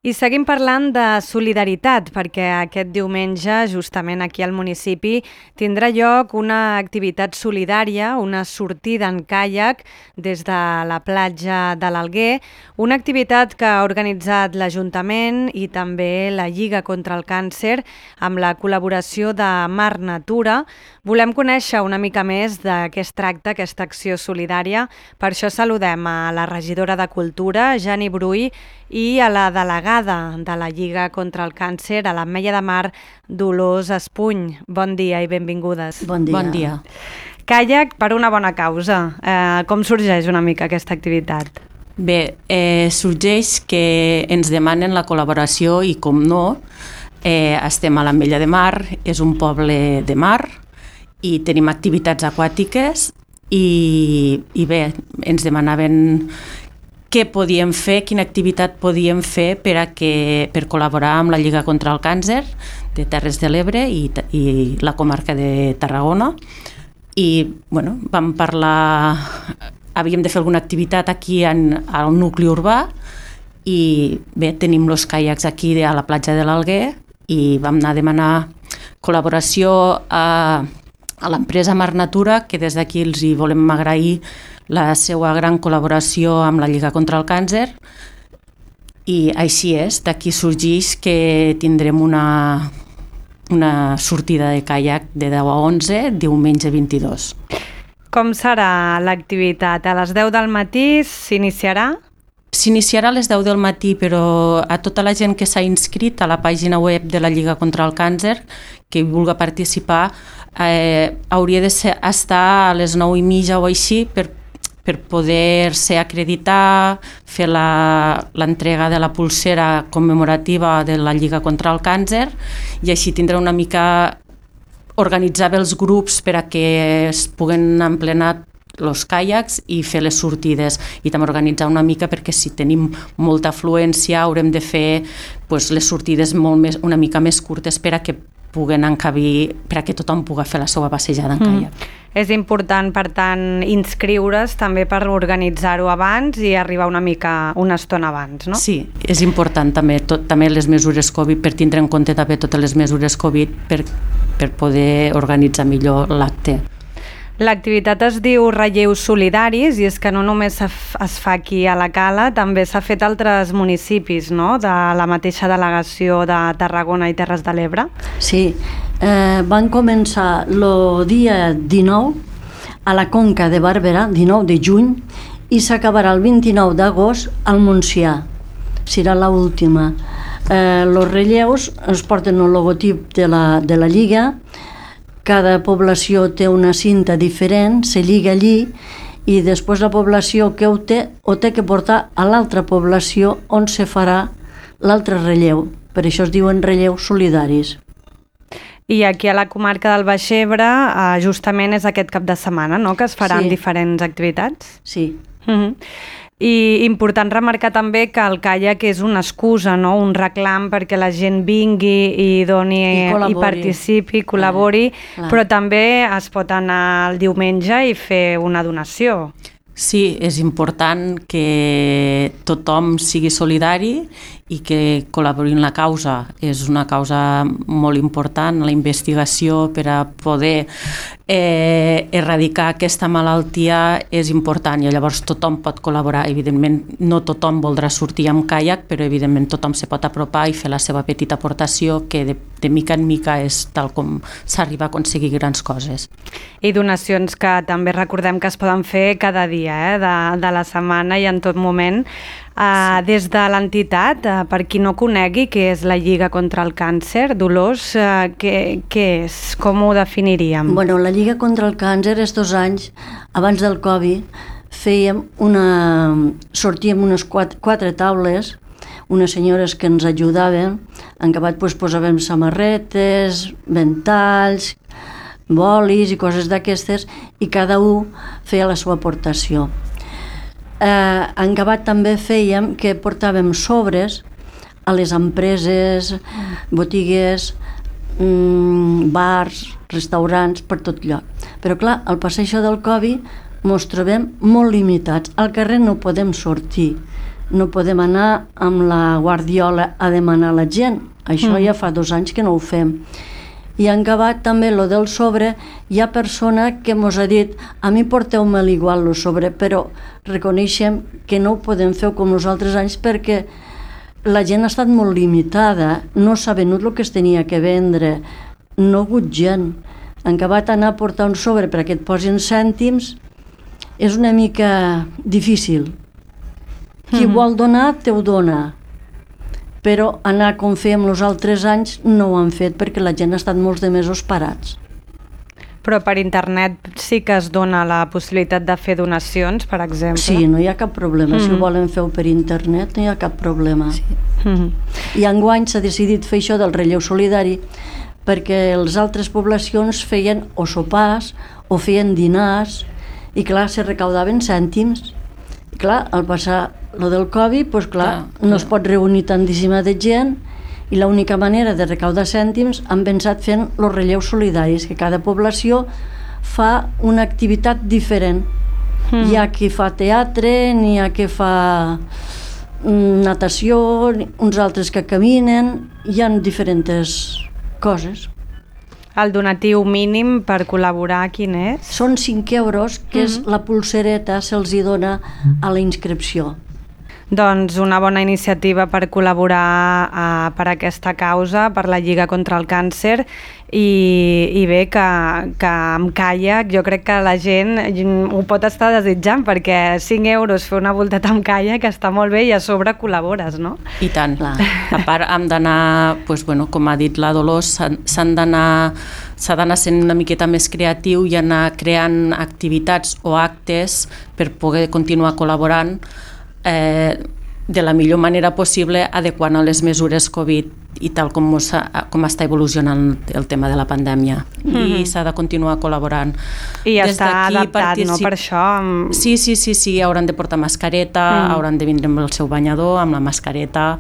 I seguim parlant de solidaritat, perquè aquest diumenge, justament aquí al municipi, tindrà lloc una activitat solidària, una sortida en caiac des de la platja de l'Alguer, una activitat que ha organitzat l'Ajuntament i també la Lliga contra el Càncer amb la col·laboració de Mar Natura. Volem conèixer una mica més de què es tracta aquesta acció solidària. Per això saludem a la regidora de Cultura, Jani Brull, i a la delegada de la Lliga contra el Càncer, a l'Ametlla de Mar, Dolors Espuny. Bon dia i benvingudes. Bon dia. Bon dia. Caiac per una bona causa. Com sorgeix una mica aquesta activitat? Bé, sorgeix que ens demanen la col·laboració i, com no, estem a l'Ametlla de Mar, és un poble de mar i tenim activitats aquàtiques i bé, ens demanaven què podíem fer, quina activitat podíem fer per col·laborar amb la Lliga contra el Càncer de Terres de l'Ebre i la comarca de Tarragona. I bueno, vam parlar, havíem de fer alguna activitat aquí al nucli urbà i bé, tenim els caiacs aquí a la platja de l'Alguer i vam anar a demanar col·laboració a l'empresa Mar Natura, que des d'aquí els hi volem agrair la seva gran col·laboració amb la Lliga contra el Càncer, i així és, d'aquí sorgeix que tindrem una sortida de caiac de 10 a 11, diumenge 22. Com serà l'activitat? A les 10 del matí s'iniciarà? S'iniciarà a les 10 del matí, però a tota la gent que s'ha inscrit a la pàgina web de la Lliga contra el Càncer, que vulgui participar, hauria d'estar a les 9:30 o així per poder-se acreditar, fer l'entrega de la pulsera commemorativa de la Lliga contra el Càncer i així tindrà una mica organitzar bé els grups per a que es puguen emplenar els caiacs i fer les sortides, i també organitzar una mica perquè si tenim molta afluència haurem de fer les sortides una mica més curtes per a que puguen encabir, per a que tothom pugui fer la seva passejada en caiac. És important, per tant, inscriure's també per organitzar-ho abans i arribar una estona abans, no? Sí, és important també les mesures Covid, per tindre en compte també totes les mesures Covid per poder organitzar millor l'acte. L'activitat es diu Relleus Solidaris i és que no només es fa aquí a la Cala, també s'ha fet a altres municipis, no?, de la mateixa delegació de Tarragona i Terres de l'Ebre. Sí, van començar el dia 19 a la Conca de Barberà, 19 de juny, i s'acabarà el 29 d'agost al Montsià. Serà l'última. Els relleus es porten el logotip de la Lliga. Cada població té una cinta diferent, se lliga allí i després la població que ho té que portar a l'altra població on se farà l'altre relleu. Per això es diuen relleus solidaris. I aquí a la comarca del Baix Ebre justament és aquest cap de setmana, no?, que es faran diferents activitats? Sí. I important remarcar també que el caiac és una excusa, no?, un reclam perquè la gent vingui i doni i participi, col·labori, però també es pot anar el diumenge i fer una donació. Sí, és important que tothom sigui solidari i que col·labori en la causa. És una causa molt important, la investigació per a poder erradicar aquesta malaltia és important i llavors tothom pot col·laborar. Evidentment, no tothom voldrà sortir amb caiac, però evidentment tothom se pot apropar i fer la seva petita aportació, que de mica en mica és tal com s'arriba a aconseguir grans coses. I donacions que també recordem que es poden fer cada dia de la setmana i en tot moment. Des de l'entitat, per qui no conegui què és la Lliga contra el Càncer, Dolors, què és? Com ho definiríem? Bueno, la Lliga contra el Càncer, estos anys, abans del Covid, sortíem unes quatre taules, unes senyores que ens ajudaven, en acabat posàvem samarretes, ventalls, bolis i coses d'aquestes, i cada un feia la seva aportació. En acabat també fèiem que portàvem sobres a les empreses, botigues, bars, restaurants, per tot lloc. Però clar, al passar això del Covid mos trobem molt limitats. Al carrer no podem sortir, no podem anar amb la guardiola a demanar a la gent. Això ja fa 2 anys que no ho fem. I en acabat també lo del sobre, hi ha persona que mos ha dit a mi porteu-me'l igual lo sobre, però reconeixem que no ho podem fer com els altres anys perquè la gent ha estat molt limitada, no s'ha venut el que es tenia que vendre, no ha hagut gent. En acabat anar a portar un sobre perquè et posin cèntims és una mica difícil. Qui vol donar, te ho dona. Però anar com fèiem els altres anys no ho han fet perquè la gent ha estat molts de mesos parats. Però per internet sí que es dona la possibilitat de fer donacions, per exemple? Sí, no hi ha cap problema. Si ho volen fer per internet no hi ha cap problema. Sí. I enguany s'ha decidit fer això del relleu solidari perquè les altres poblacions feien o sopars o feien dinars i clar, se recaudaven cèntims. I clar, al passar lo del Covid, doncs clar, no es pot reunir tantíssima de gent i l'única manera de recaudar cèntims han pensat fent els relleus solidaris, que cada població fa una activitat diferent. Hi ha qui fa teatre, n'hi ha qui fa natació, uns altres que caminen, hi ha diferents coses. El donatiu mínim per col·laborar, quin és? Són 5 euros, que és la pulsereta, se'ls hi dona a la inscripció. Doncs una bona iniciativa per col·laborar per aquesta causa, per la Lliga contra el Càncer, i bé que amb caiac jo crec que la gent ho pot estar desitjant, perquè 5 euros fer una voltada amb caiac està molt bé i a sobre col·labores, no? I tant. A part hem d'anar, com ha dit la Dolors, s'ha d'anar sent una miqueta més creatiu i anar creant activitats o actes per poder continuar col·laborant de la millor manera possible, adequant a les mesures Covid i tal com està evolucionant el tema de la pandèmia. I s'ha de continuar col·laborant. I està adaptat, no?, per això. Sí, hauran de portar mascareta, hauran de vindre amb el seu banyador, amb la mascareta.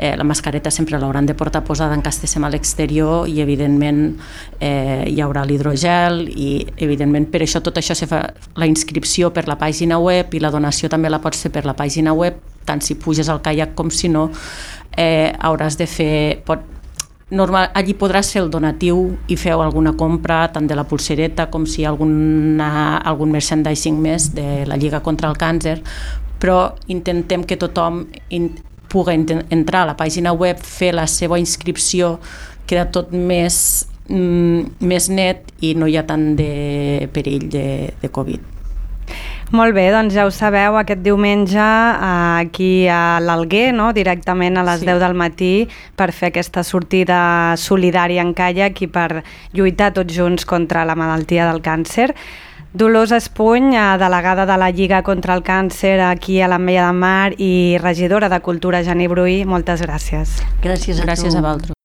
La mascareta sempre l'hauran de portar posada en cas estiguem a l'exterior i evidentment hi haurà l'hidrogel i evidentment per això tot això se fa la inscripció per la pàgina web i la donació també la pots fer per la pàgina web, tant si puges al caiac com si no, hauràs de fer... allí podràs fer el donatiu i feu alguna compra tant de la pulsereta com si hi ha algun merchandising més de la Lliga contra el Càncer, però intentem que tothom pugui entrar a la pàgina web, fer la seva inscripció, queda tot més net i no hi ha tant de perill de Covid. Molt bé, doncs ja ho sabeu, aquest diumenge aquí a l'Alguer, no? Directament a les 10 del matí per fer aquesta sortida solidària en caiac i per lluitar tots junts contra la malaltia del càncer. Dolors Espuny, delegada de la Lliga contra el Càncer aquí a l'Ametlla de Mar i regidora de Cultura Geni Bruí, moltes gràcies. Gràcies a tu. Gràcies a vosaltres.